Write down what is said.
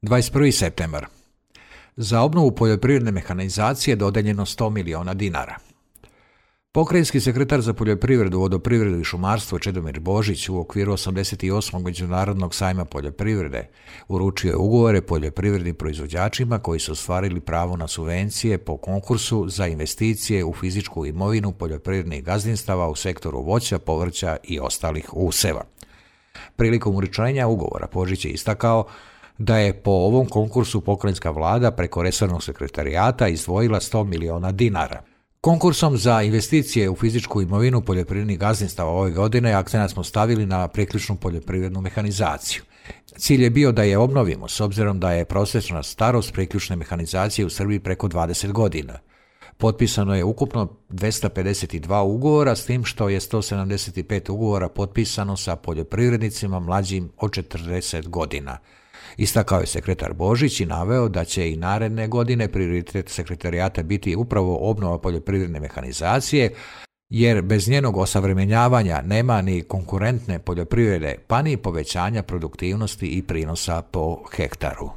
21. septembar. Za obnovu poljoprivredne mehanizacije dodeljeno 100 miliona dinara. Pokrajinski sekretar za poljoprivredu, vodoprivredu i šumarstvo Čedomir Božić u okviru 88. Međunarodnog sajma poljoprivrede uručio je ugovore poljoprivrednim proizvođačima koji su ostvarili pravo na subvencije po konkursu za investicije u fizičku imovinu poljoprivrednih gazdinstava u sektoru voća, povrća i ostalih useva. Prilikom uručenja ugovora Božić je istakao da je po ovom konkursu pokrajinska vlada preko resornog sekretarijata izdvojila 100 miliona dinara. Konkursom za investicije u fizičku imovinu poljoprivrednih gazdinstava ove godine akcenat smo stavili na priključnu poljoprivrednu mehanizaciju. Cilj je bio da je obnovimo s obzirom da je prosječna starost priključne mehanizacije u Srbiji preko 20 godina. Potpisano je ukupno 252 ugovora, s tim što je 175 ugovora potpisano sa poljoprivrednicima mlađim od 40 godina. Istakao je sekretar Božić i naveo da će i naredne godine prioritet sekretarijata biti upravo obnova poljoprivredne mehanizacije, jer bez njenog osavremenjavanja nema ni konkurentne poljoprivrede, pa ni povećanja produktivnosti i prinosa po hektaru.